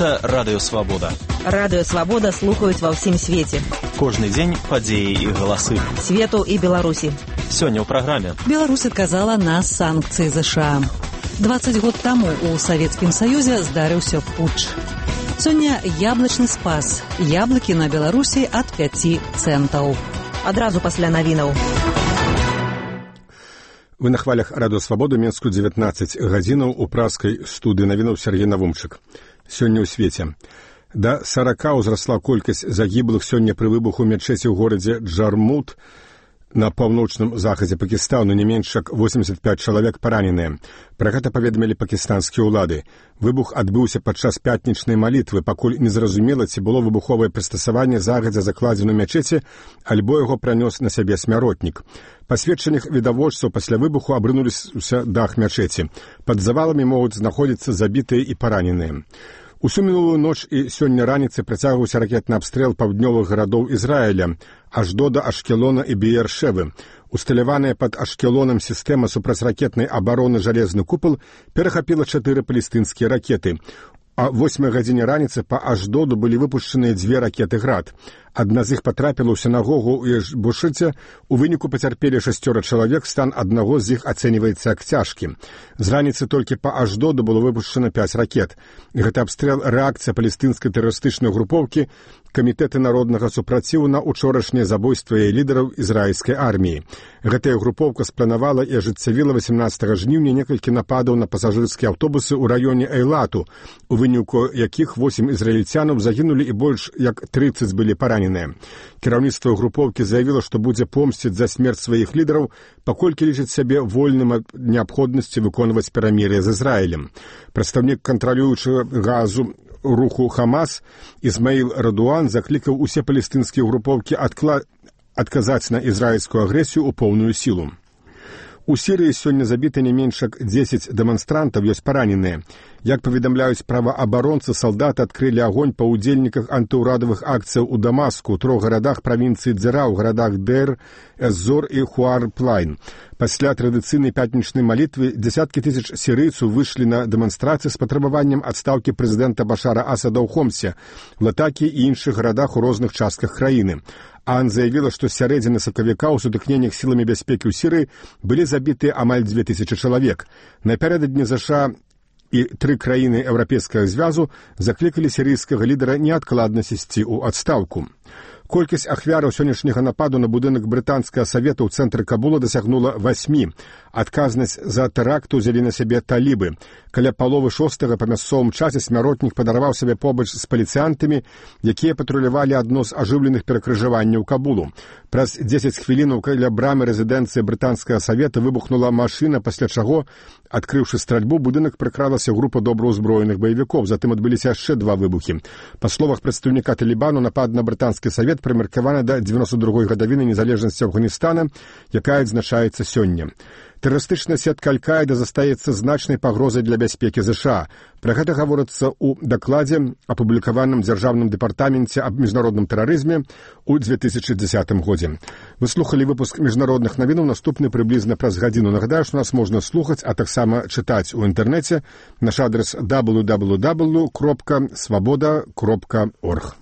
Гэта Радыё Свабода. Радыё Свабода слухаюць ва ўсім свеце. Кожны дзень падзеі і галасы. Свету і Беларусі. Сёння ў праграме. Беларусь адказала на санкцыі ЗША. 20 год таму у Савецкім Саюзе здарыўся путч. Сёння яблычны спас. Яблыкі на Беларусі ад 5 цэнтаў. Адразу пасля навінаў. Вы на хвалях Радыё Свабода, Менску 19 гадзінаў у праскай студыі навінаў Сергей Навумчык. Сёння ў свеце. Да 40 ўзрасла колькасць загіблых сёння пры выбуху мечеці ў горадзе Джармут на паўночным захадзе Пакістану. Не менш як 85 чалавек параненыя. Пра гэта паведамілі пакістанскія ўлады. Выбух адбыўся падчас пятнічнай малітвы, пакуль незразумела, ці было выбуховае прыстасаванне загадзя закладзена ў мячэці, альбо яго пранёс на сябе смяротнік. Па сведчаннях відавочцаў пасля выбуху абрынуліся дах мячэці. Пад заваламі могуць знаходзіцца забітыя і параненыя. Усю мінулую ноч і сёння раніцай працягваўся ракетны абстрэл паўднёвых гарадоў Ізраіля, Аждода, Ашкелона і Беер-Шевы. Усталяваная пад Ашкелонам сістэма супрацьракетнай абароны «Жалезны купал» перахапіла 4 палестынскія ракеты. А 8 гадзіне раніцы па Аждоду былі выпушчаныя 2 ракеты «Град». Адна з іх патрапіла ў сінагогу ў Эшбушыце. У выніку пацярпелі 6 чалавек, стан аднаго з іх ацэньваецца як цяжкі. З раніцы толькі па Аждоду было выпушчана 5 ракет. Гэта абстрэл рэакцыя палестынскай тэрарыстычнай групоўкі Камітэты народнага супраціву на учорашнія забойства і лідараў ізраільскай арміі. Гэтая групоўка спланавала і ажыццявіла 18 жніўня некалькі нападаў на пасажырскія аўтобусы ў раёне Эйлату, у выніку якіх 8 ізраільцянаў загінулі і больш як 30 былі параненыя. Кіраўніцтва групоўкі заявіла, што будзе помсціць за смерць сваіх лідараў, паколькі лічыць сябе вольным ад неабходнасці выконваць перамір'е з Ізраілем. Прадстаўнік кантралюючага газу руху Хамас Ізмаіл Радуан заклікаў усе палестынскія групоўкі адказаць на ізраільскую агрэсію ў поўную сілу. У Сірыі сёння забіты не менш як 10 дэманстрантаў, ёсць параненыя. Як паведамляюць праваабаронцы, салдаты адкрылі агонь па ўдзельніках антыўрадавых акцыяў у Дамаску, 3 гарадах правінцыі Дзера, у гарадах Дэр, Эз-Зор і Хуар-Плайн. Пасля традыцыйнай пятнічнай малітвы дзесяткі тысяч сірыйцаў выйшлі на дэманстрацыі з патрабаваннем адстаўкі прэзідэнта Башара Асада ў Хомсе, Латакі і іншых гарадах у розных частках краіны. АН заявіла, што з сярэдзіны сакавіка ў сутыкненнях сіламі бяспекі ў Сірыі былі забітыя амаль 2000 чалавек. Напярэдадні ЗША і 3 краіны Еўрапейскага звязу заклікалі сірыйскага лідара неадкладна сысці ў адстаўку. Колькасць ахвяраў сённяшняга нападу на будынак брытанскага савета ў цэнтры Кабула дасягнула 8. Адказнасць за тэракт узялі на сябе талібы. Каля паловы 6 па мясцовым часе смяротнік падарваў сябе побач з паліцыянтамі, якія патрулявалі адно з ажыўленых перакрыжаванняў Кабулу. Праз 10 хвілінаў каля брамы рэзідэнцыі брытанскага савета выбухнула машына, пасля чаго, адкрыўшы стральбу, будынак прыкралася група добраўзброеных баевікоў. Затым адбыліся яшчэ 2 выбухі. Па словах прадстаўніка Талібану, напад на брытанскі савет прымеркаваны да 92-й гадавіны незалежнасці Афганістана, якая адзначаецца сёння. Тэрарыстычная сетка Аль-Каіда застаецца значнай пагрозай для бяспекі ЗША. Пра гэта гаворыцца ў дакладзе, апублікаваным дзяржаўным дэпартаменце аб міжнародным тэрарызме ў 2010 годзе. Вы слухалі выпуск міжнародных навінаў, наступны прыблізна праз гадзіну. Нагадаю, што нас можна слухаць, а таксама чытаць у інтэрнэце. Наш адрес www.swaboda.org.